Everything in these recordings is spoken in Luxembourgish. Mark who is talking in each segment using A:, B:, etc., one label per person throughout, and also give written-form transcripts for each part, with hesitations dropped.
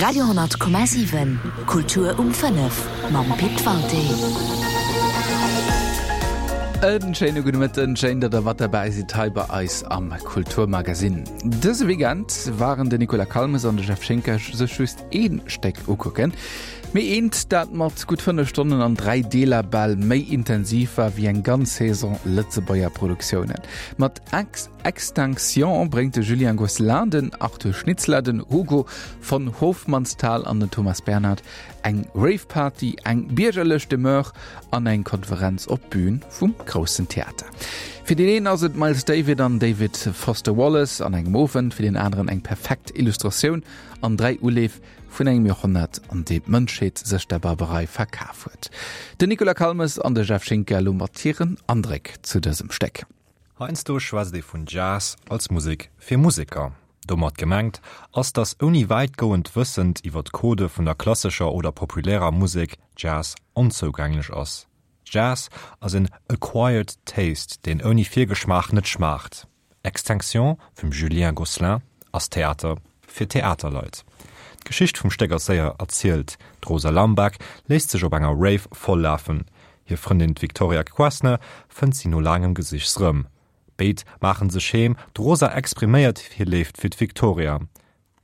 A: Radio 10,7 Kultur um 5 mam Pit Walté.
B: En schéine gudde Mëtten, schéin, datt der mat derbäi sidd hei bei eis am Kulturmagasinn. Dëse Weekend waren de Nicolas Calmes an de Jeff Schinker sech just ee Stéck ukucken, mee eent, dat mat gutt 5 Stonnen an 3 Deeler bal méi intensiv war wéi eng ganz Saison Lëtzebuerger Produktiounen. Mat Ex. Extinction bréngt de Julien Gosselin, den Arthur Schnitzler, den Hugo von Hofmannsthal an den Thomas Bernhard eng Rave-Party, eng biergerlech Demeure an eng Konferenz op d'Bün vum Groussen Theater. Fir deen een ass et Miles David an David Foster Wallace an engem Owend, fir deen aneren eng perfekt Illustratioun an 3 Uleef vun engem Joerhonnert, an deem d'Mënschheet sech der Barbarei verkaf huet. Den Nicolas Calmes an de Jeff Schinker elo mat hiren Andréck zu dësem Stéck.
C: Heiansdo schwätzt ee vun Jazz als Musek fir Museker. Domat gemengt ass, datt ouni wäitgoend Wëssend iwwer d'Codë vun der klassescher oder populärer Musek Jazz onzougänglech ass. Jazz ass en acquired taste, deen ouni Virgeschmaach net schmaacht. Extinction vum Julien Gosselin ass Theater fir Theaterleit. D'Geschicht vum Stéck ass séier erzielt, D'Rosa Lambach léisst sech op enger Rave voll lafen. Hir Frëndin d'Victoria Quassner fënnt si no laangem Gesichs rëm. Béid maachen sech heem, d'Rosa expriméiert hir Léift fir d'Victoria.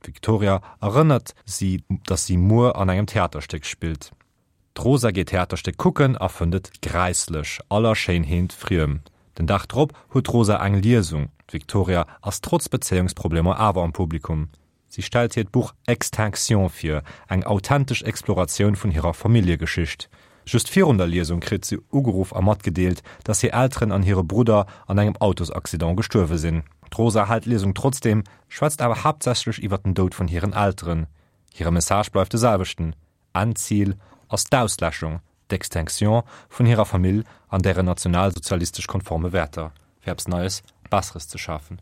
C: D'Victoria erënnert si, datt si muer an engem Theaterstéck spillt. D'Rosa geet d'Theaterstéck kucken a fënnt et gräisslech, aller Schéinheet friem. Den Dag drop huet d'Rosa eng Liesung. D'Victoria ass trotz Bezéiungsproblemer awer am Publikum. Si stellt hiert Buch Extinction vir, eng authentesch Exploratioun vun hirer Familljegeschicht. Just virun der Liesung kritt si ugeruff a matgedeelt, dass hir Elteren an hire Brudder an engem Autosaccident gestuerwe sinn. D'Rosa hält d'Liesung trotzdeem, schwätzt awer haaptsächlech iwwer den Doud vun hiren Elteren. Hire Message bleift de selwechten, Endzil ass d'Ausläschung, d'Extinction vun hirer Famill an dären nationalsozialistesch konforme Wäerter, fir eppes Neies, Besseres ze schafen.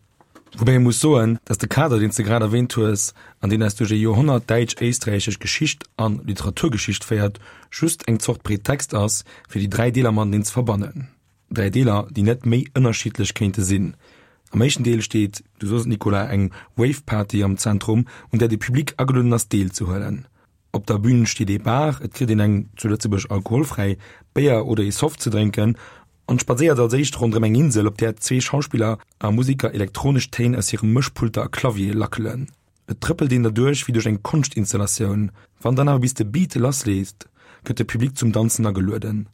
D: Woubäi ee muss soen, datt de Kader, deen s de grad erwähnt hues, an deen eis duerch ee Joerhonnert däitsch-éisträichesch Geschicht a Literaturgeschicht féiert, just eng Zort Pretext ass, fir déi 3 Deeler mateneen ze verbannen. 3 Deeler, déi net méi ënnerschiddlech kéinte sinn. Am éischten Deel steet, du sos et Nicolas, eng Wave-Party am Zentrum, un där de Public agelueden ass deelzehuelen. Op der Bühn steet ee Bar, et kritt een eng, zu Lëtzebuerg alkoholfräi, Béier oder ee Soft ze drénken an spadséiert als éischt ronderëm eng Insel, op där zwee Schauspiller a Musiker elektronesch Téin aus hire Mëschpulter a Claviere lackelen. Et trëppelt een derduerch wéi duerch eng Konschtinstallatioun. Wann dann awer bis de Beat lassleet, gëtt de Public zum Danzen agelueden.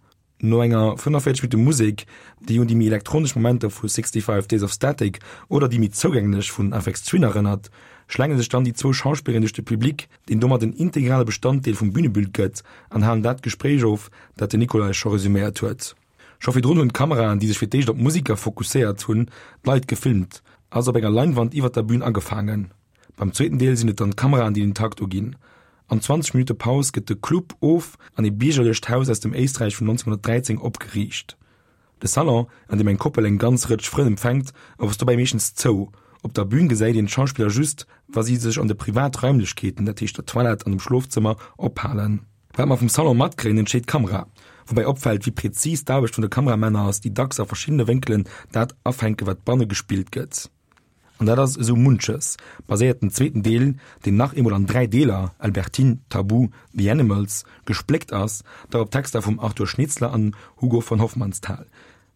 D: No enger 45 Minutte Musek, déi un déi méi elektronesch Momenter vu 65 Days of Static oder déi méi zougänglech vun Aphex Twin erënnert, schlänge sech dann déi zwou Schauspillerinnen duerch de Public, deen domat en integrale Bestanddeel vum Bünebild gëtt, an halen dat Gespréich of, dat den Nicolai scho resuméiert huet. Scho virdrun hunn d'Kameraen, déi sech fir d'éischt op d'Museker fokusséiert hunn, d'Leit gefilmt a se op enger Leinwand iwwer der Bün agefaangen. Beim zweeten Deel sinn et dann d'Kameraen, déi den Takt uginn. An 20 Minutte Paus gëtt de Club of an ee biergerlecht Haus aus dem Éisträich vun 1913 opgeriicht. De Salon, an deem eng Koppel eng ganz Rëtsch Frënn empfänkt, ass dobäi meeschtens zou. Op der Bün gesäit een d'Schauspiller just, wa si sech an de privat Raimlechkeeten, dat heescht der Toilette an dem Schlofzëmmer, ophalen. Wat mer vum Salon matkréien, entscheet d'Kamera. Woubäi opfält, wéi prezis d'Aarbecht vun de Kameramänner ass, déi dacks a verschiddene Wénkelen dat afänken, wat banne gespillt gëtt. An dat ass esou munches, baséiert den zweeten Deel, deen nach eemol an 3 Deeler, Albertine, Tabu, The Animals, gespléckt ass, da op Texter vum Arthur Schnitzler an Hugo von Hofmannsthal.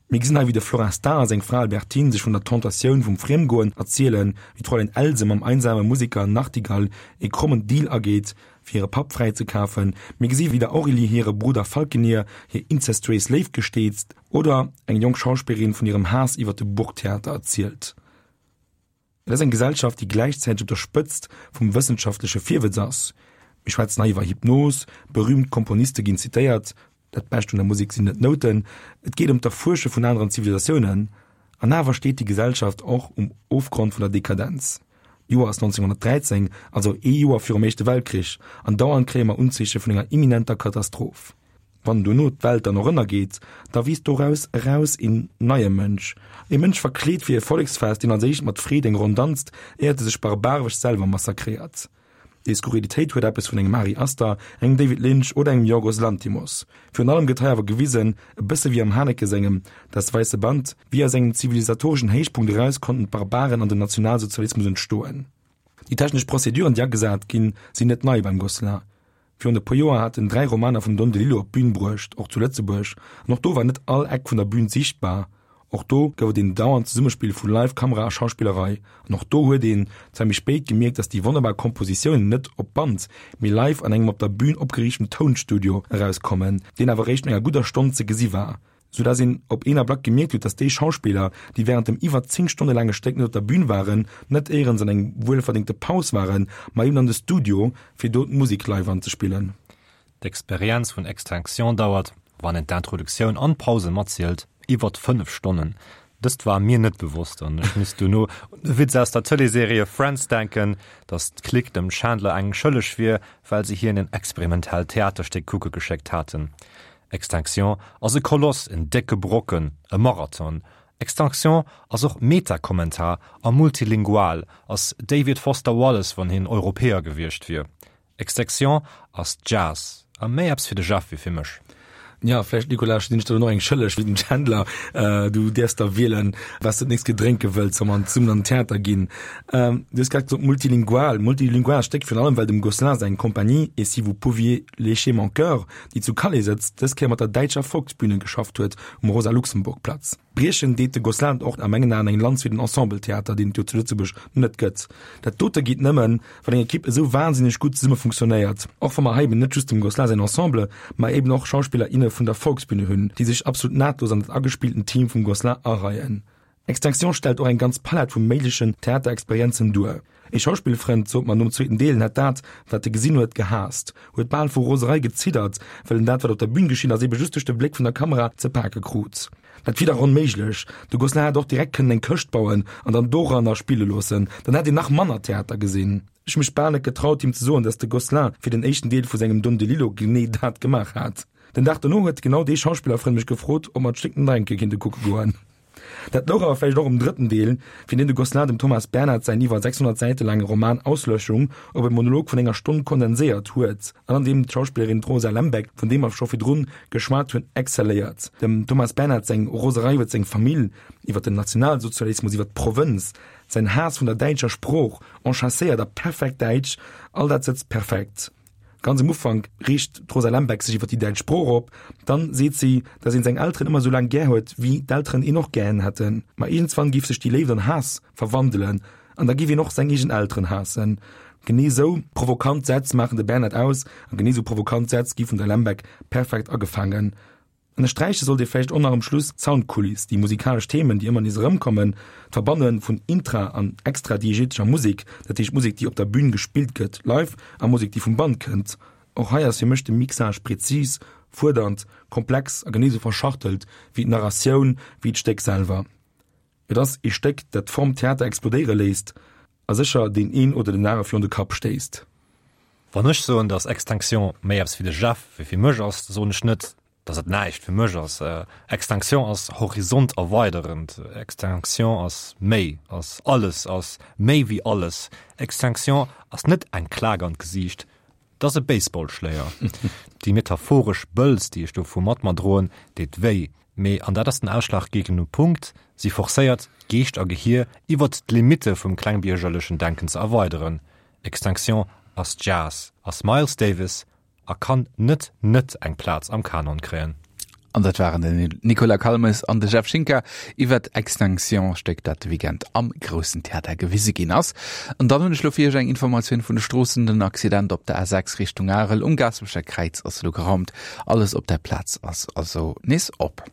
D: Mir gesinn hei wéi de Florestan a seng Fra Albertine sech vun der Tentatioun vum Friemgoen erzielen, wéi d'Fräulein Else mam einsame Museker Nachtigall ee krommen Deal ageet, fir hire Papp fräizekafen. Mir gesi wéi der Aurélie hire Brudder Falkenier hir inzestuéis Léift gesteet, Oder eng jonk Schauspillerin vun hirem Haass iwwer de Burgtheater erzielt. Et ass eng Gesellschaft, déi gläichzäiteg op der Spëtzt vum wëssenschaftleche Virwëtz ass. Mir schwätzen hei iwwer Hypnos, berüümt Komponiste ginn zitéiert, dat Bescht un der Musek sinn net d'Nouten, et geet ëm d'Erfuersche vun aneren Zivilisatiounen. An awer steet déi Gesellschaft och um Ofgrond vun der Dekadenz. D'Joer ass 1913, also ee Joer virum Éischte Weltkrich, an dauernd kréie mer Unzeeche vun enger imminenter Katastroph. Wann dono d'Welt dann och ënnergeet, da wiisst doraus eraus een neie Mënsch, e Mënsch verkleet fir e Volleksfest, deen als éischt mat Freed eng Ronn danzt, éiert e sech barbaresch selwer massakréiert. Déi Skurrilitéit huet eppes vun engem Ari Aster, engem David Lynch oder engem Yorgos Lanthimos. Virun allem gëtt hei awer gewisen, e bësse wéi am Haneke sengem Das weiße Band, wéi aus engem zivilisatoreschen Héichpunkt eraus konnten d'Barbaren an den Nationalsozialismus entstoen. Déi technesch Prozeduren, déi agesat ginn, sinn net nei beim Gosselin. Virun e puer Joer hat en 3 Romaner vum Don DeLillo op d'Bün bruecht, och zu Lëtzebuerg, an och do war net all Eck vun der Bün sichtbar. Och do gouf et een dauernd Zesummespill vu Live-Kamera a Schauspillerei. An och do huet een, zwar méi spéit, gemierkt, datt déi wonnerbar Kompositiounen net op Band, mee live an engem op der Bün opgeriichten Tounstudio erauskommen, deen awer eréischt no enger gudder Stonn ze gesi war. Sou dass een op een Ablack gemierkt huet, dass déi Schauspiller, déi während dem iwwer 10 Stonne laange Stéck net op der Bühn waren, net éierens an eng wuelverdéngte Paus waren, ma eben an de Studio, fir do d'Musek live anzespillen.
C: D'Experienz vun Extinction dauert, wann een d'Introduktioun an d'Pause matzielt, iwwert 5 Stonnen. Dëst war mir net bewosst an ech misst dono un e Witz aus der Tëleesserie Friends denken, dass d'Clique dem Chandler eng schëlleg wier, well se hien en experimentellt Theaterstéck kucke geschéckt haten. Extinction ass e Koloss, en décke Brocken, e Marathon. Extinction ass och Metakommentar a multilingual, ass David Foster Wallace, wann hien Europäer gewiescht wier. Extinction ass Jazz a méi eppes fir de Jeff wéi fir mech.
D: Jo, vläicht, Nicolas, sinn ech der dann och eng schëlleg wéi dem Chandler. Du däerfs der wielen, wat s de d'nächst gedrénke wëlls, wa mer zesummen an den Theater ginn. Du hues grad gesot multilingual. Multilingual stéckt virun allem, well dem Gosselin seng Compagnie Et si vous pouviez lécher mon cœur, déi zu Calais sëtzt, dës Kéier mat der däitscher Volksbühne geschafft huet um Rosa-Luxemburg-Platz. Briechen deet de Gosselin och a mengen Aen eng Lanz fir den Ensembletheater, deen et jo zu Lëtzebuerg net gëtt. Dat dote geet nëmmen, wann eng Ekipp esou wahnsinneg gutt zesumme funktionéiert. Och wa mer hei eben net just dem Gosselin säin Ensemble, ma eben och Schauspiller, inne vun der Volksbühne hunn, déi sech absolut nahtlos an dat agespillten Team vum Gosselin areien. Extinction stellt och eng ganz Palett vu méiglechen Theaterexperienzen duer. Ee Schauspillfrënd sot mer nom zweeten Deel, en hätt dat, wat e gesinn huet, gehaasst, huet bal vu Roserei geziddert, well en dat, wat op der Bün geschitt ass, ebe just duerch de Bléck vun der Kamera ze pake krut. Dat wier dach onméiglech! De Gosselin hätt och direkt kënnen eng Këscht bauen an dann doranner spille loossen, dann hätt een nach manner Theater gesinn. Ech hu mech bal net getraut, him ze soen, dass de Gosselin fir den éischten Deel vu sengem Don DeLillo genee dat gemaach hat. Den Dag dono huet genau dee Schauspillerfrënd mech gefrot, ob mer d'Stéck nach eng Kéier kinnte kucke goen. Dat louch awer vläicht och um drëtten Deel, fir deen de Gosselin dem Thomas Bernhard säin iwwer 600 Säite laange Roman Auslöschung op e Monolog vun enger Stonn kondenséiert huet an an deem d'Schauspillerin d'Rosa Lembeck, vun deem mer scho virdrun geschwat hunn, exzelléiert. Dem Thomas Bernhard seng Roserei iwwer seng Famill, iwwer den Nationalsozialismus, iwwer d'Provënz, säin Haass vun der däitscher Sprooch, enchasséiert a perfekt däitsch, all dat sëtzt perfekt. Ganz um Ufank reegt d'Rosa Lembeck sech iwwer déi däitsch Sprooch op. Dann seet si, datt een seng Elteren ëmmer esou laang gär huet, wéi d'Elteren een och gären hätten. Ma iergendswann géif sech déi Léift an Haass verwandelen an da géif een och seng eegen Elteren haassen. Genee esou provokant Sätz maachen de Bernhard aus a genee esou provokant Sätz gi vun der Lembeck perfekt agefaangen. Ënnersträiche sollt ee vläicht och nach um Schluss d'Soundkuliss, déi musikalesch Themen, déi ëmmer nees erëmkommen, d'Verbanne vun intra an extradiegetescher Musek, dat heescht Musek, déi op der Bün gespillt gëtt, live, a Musek, déi vum Band kënnt. Och hei ass fir mech de Mixage prezis, fuerdernd, komplex a genee sou verschachtelt wéi d'Narratioun, wéi d'Stéck selwer. Et ass ee Stéck, dat d'Form Theater explodéiere léisst a sécher deen een oder den anere virun de Kapp stéisst.
C: Wann ech soen, dass Extinction méi eppes fir de Jeff wéi fir mech ass, soen ech net, dass et näischt fir mech ass. Extinction ass horizonterweiderend. Extinction ass méi, ass alles, ass méi wéi alles. Extinction ass net eng Klak an d'Gesiicht, 't ass e Baseballschléier. Déi metaphoresch Bëlz, déi ech dovu mat mer droen, deet wéi. Mee, an dat ass den ausschlaggebende Punkt, si forcéiert, Geescht a Gehier iwwert d'Limitte vum klengbiergerlechen Denken ze erweideren. Extinction ass Jazz, ass Miles Davis a kann net net eng Plaz am Kanon kréien.
B: An dat waren den Nicolas Calmes an de Jeff Schinker iwwer Extinction, Stéck dat de Weekend am Groussen Theater gewise ginn ass. An dann hunn ech lo fir iech eng Informatioun vun de Stroossen, Den Accident op der A6 Richtung Arel um Gaasperecher Kräiz ass elo geraumt. Alles op der Plaz ass also nees op.